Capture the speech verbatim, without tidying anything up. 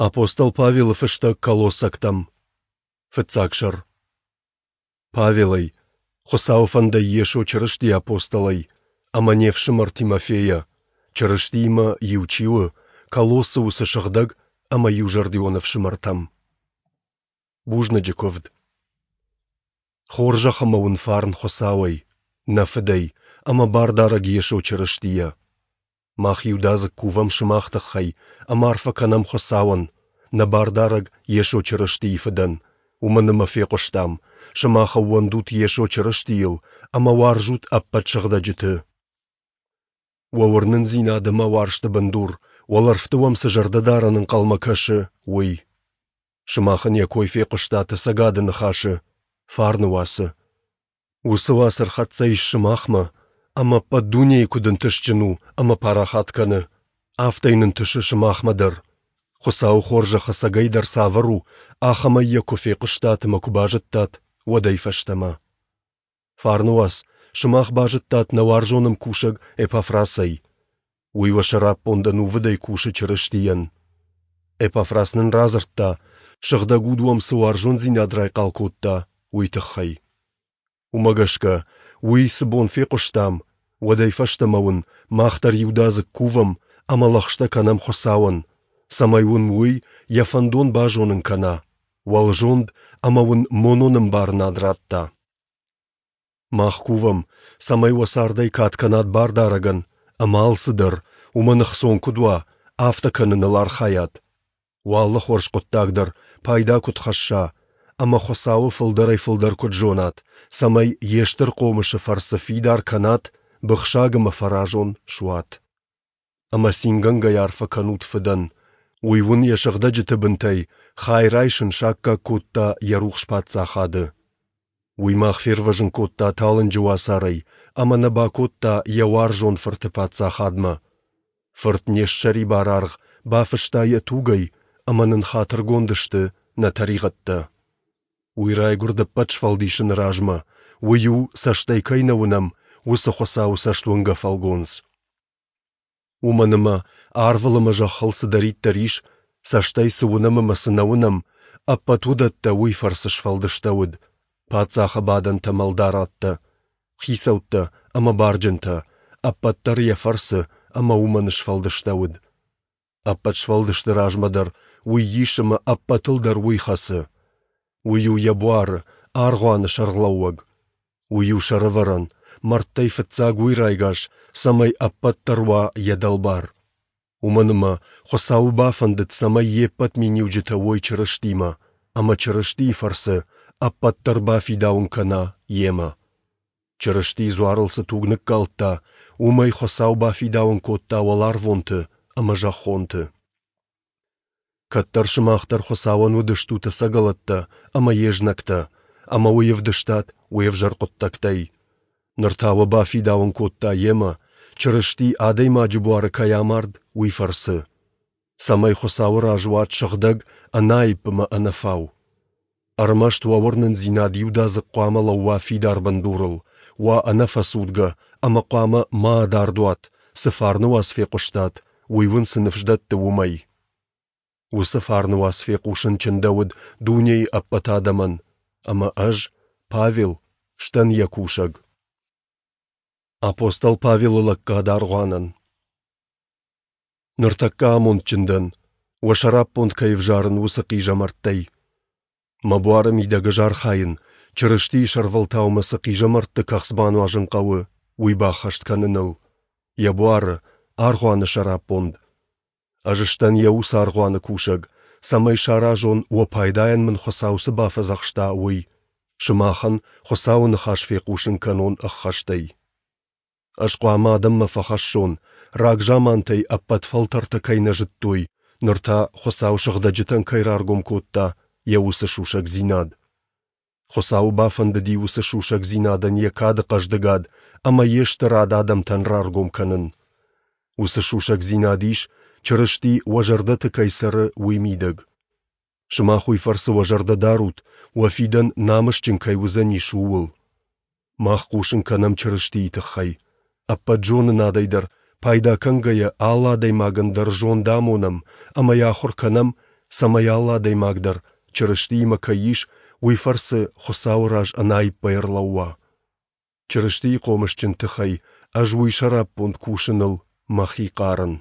Апостол Павелы фыстӕг Колоссӕгтӕм. Фыццаг сӕр. Павелӕй, Хуыцауы фӕндӕй Йесо Чырыстийы апостолӕй, ӕмӕ не фсымӕр Тимофейӕ, Чырыстиимӕ иу чи у, Колоссы уыцы сыгъдӕг ӕмӕ иузӕрдион ӕфсымӕртӕм. Бузныджы куывд. Хорзӕх ӕмӕ уын фарн Хуыцауӕй, нӕ Фыдӕй, ӕмӕ Бардарӕг Йесо Чырыстийӕ. Мах иудадзыг кувӕм сымах тыххӕй ӕмӕ арфӕ кӕнӕм Хуыцауӕн, нӕ Бардарӕг Йесо Чырыстийы Фыдӕн, уымӕн ӕмӕ фехъуыстам, сымах ӕууӕндут Йесо Чырыстийыл ӕмӕ уарзут ӕппӕт сыгъдӕджыты. Уӕ уырнындзинад ӕмӕ уарзты бындур, уӕлӕрвты уӕм цы зӕрдӕдарӕн ӕнхъӕлмӕ кӕсы, уый. Сымах ын йӕ кой фехъуыстат ӕцӕгады ныхасы, фарны уацы. Уыцы уац ӕрхӕццӕ ис сымахмӕ, ӕмӕ ӕппӕт дунейы куыд ӕнтыстджын у ӕмӕ парахат кӕны, афтӕ йын ӕнтысы сымахмӕ дӕр. Хуыцауы хорзӕх ӕцӕгӕйдӕр цавӕр у, ахӕмӕй йӕ куы фехъуыстат ӕмӕ куы базыдтат, уӕдӕй фӕстӕмӕ. Фарны уац сымах базыдтат нӕ уарзон ӕмкусӕг Эпафрасӕй. Уый уӕ сӕраппонд ӕнувыдӕй кусы Чырыстийӕн. Эпафрас нын радзырдта, Сыгъдӕг Уд уӕм цы уарзондзинад райхъал кодта, уый тыххӕй. Уымӕ гӕсгӕ, уый цы бон фехъуыстам, уӕдӕй фӕстӕмӕ уын мах дӕр иудадзыг кувӕм ӕмӕ лӕгъстӕ кӕнӕм Хуыцауӕн, цӕмӕй уын уый йӕ фӕндон базонын кӕна, уӕлзонд ӕмӕ уын монон ӕмбарынад радта. Мах кувӕм, цӕмӕй уӕ цардӕй кад кӕнат Бардарӕгӕн, ӕмӕ алцыдӕр, уымӕн ӕхцон куыд уа, афтӕ кӕныныл архайат. Уӕ алы хорз хъуыддаг дӕр пайда куыд хӕсса, ӕмӕ Хуыцауы фылдӕрӕй-фылдӕр куыд зонат, цӕмӕй йе стыр хъомысы фӕрцы фидар кӕнат, быхсаг ӕмӕ фӕразон суат. Ӕмӕ цингӕнгӕйӕ арфӕ кӕнут Фыдӕн, уый уын йӕ сыгъдӕджыты бынтӕй хай райсын саккаг кодта йӕ рухс паддзахады. Уый мах фервӕзын кодта талынджы уацарӕй ӕмӕ нӕ бакодта йӕ уарзон Фырты паддзахадмӕ. Фырт не ссӕрибар аргъ бафыста йӕ тугӕй, ӕмӕ нын хатыргонд сты нӕ тӕригъӕдтӕ. Уый райгуырд ӕппӕт сфӕлдисыны размӕ, уый у, цӕстӕй кӕй нӕ уынӕм, уыцы Хуыцауы цӕстуынгӕ фӕлгонц. Уымӕн ӕмӕ арвыл ӕмӕ зӕххыл цыдӕриддӕр ис, цӕстӕй цы уынӕм ӕмӕ цы нӕ уынӕм, ӕппӕт уыдӕттӕ уый фӕрцы сфӕлдыстӕуыд, паддзахы бадӕнтӕ ӕмӕ ӕлдарадтӕ, хицӕуттӕ ӕмӕ барджынтӕ, ӕппӕт дӕр йӕ фӕрцы ӕмӕ уымӕн сфӕлдыстӕуыд. Ӕппӕт сфӕлдысты размӕ дӕр уый ис ӕмӕ ӕппӕтыл дӕр уый хӕцы. Уый у йӕ буары, аргъуаны сӕргълӕууӕг. Уый у сӕрӕвӕрӕн, мӕрдтӕй фыццаг уый райгас, цӕмӕй ӕппӕт дӕр уа йӕ дӕлбар. Уымӕн ӕмӕ Хуыцауы бафӕндыд, цӕмӕй йе ппӕт миниуджытӕ уой Чырыстимӕ, ӕмӕ Чырыстийы фӕрцы ӕппӕт дӕр бафидауын кӕна йемӕ. Чырысти дзуарыл цы туг ныккалдта, уымӕй Хуыцау бафидауын кодта уӕларвонты ӕмӕ зӕххонты. Кӕддӕр сымах дӕр Хуыцауӕн уыдыстут ӕцӕгӕлӕттӕ ӕмӕ йе знӕгтӕ, ӕмӕ уый ӕвдыстат уе взӕр хъуыддӕгтӕй. Ныр та уӕ бафидауын кодта йемӕ, Чырысти адӕймаджы буары кӕй амард, уый фӕрцы. Цӕмӕй Хуыцауы раз уат сыгъдӕг, ӕнаипп ӕмӕ ӕнӕфау. Ӕрмӕст уӕ уырнындзинад иудадзыг хъуамӕ лӕууа фидар бындурыл, уа ӕнӕфӕцудгӕ ӕмӕ хъуамӕ ма адард уат, цы фарны уац фехъуыстат, уый уын цы ныфс дӕтты, уымӕй. Уыцы фарны уац фехъусын чындӕуыд дунейы ӕппӕт адӕмӕн, ӕмӕ ӕз, Павел, сдӕн йӕ кусӕг. Апостол Павелы лӕггад аргъуанӕн. Ныртӕккӕ амондджын дӕн, уӕ сӕраппонд кӕй ӕвзарын, уыцы хъизӕмӕрттӕй. Мӕ буары мидӕг ӕз архайын, Чырыстийы сӕрвӕлтау мӕ цы хъизӕмӕртты кӕхц бануазын хъӕуы, уый баххӕст кӕныныл, йӕ буары, аргъуаны сӕраппонд. Ӕз сдӕн йӕ уыцы аргъуаны кусӕг, цӕмӕй саразон, уӕ пайдайӕн мын Хуыцау цы бафӕдзӕхста, уый, сымахӕн Хуыцауы ныхас фехъусын кӕнон ӕххӕстӕй. Ӕз хъуамӕ адӕммӕ фӕхӕссон, рагзамантӕй ӕппӕт фӕлтӕртӕ кӕй нӕ зыдтой, ныр та Хуыцау сыгъдӕджытӕн кӕй раргом кодта, йӕ уыцы сусӕгдзинад. Хуыцауы бафӕндыди уыцы сусӕгдзинадӕн йӕ кады хъӕздыгад ӕмӕ йе стырад адӕмтӕн раргом кӕнын. Уыцы сусӕгдзинад ис, Чырысти уӕ зӕрдӕты кӕй цӕры, уый мидӕг. Сымах уый фӕрцы уӕ зӕрдӕ дарут, уӕ фидӕн намысджын кӕй уыдзӕнис, ууыл. Мах хъусын кӕнӕм Чырыстийы тыххӕй. Ӕппӕт зонынадӕй дӕр пайда кӕнгӕйӕ алы адӕймагӕн дӕр зонд амонӕм ӕмӕ йӕ ахуыр кӕнӕм, цӕмӕй алы адӕймаг дӕр, Чырыстиимӕ кӕй ис, уый фӕрцы Хуыцауы раз ӕнаиппӕй ӕрлӕууа. Чырыстийы хъомысджын тыхӕй ӕз уый сӕраппонд кусыныл мӕхи хъарын.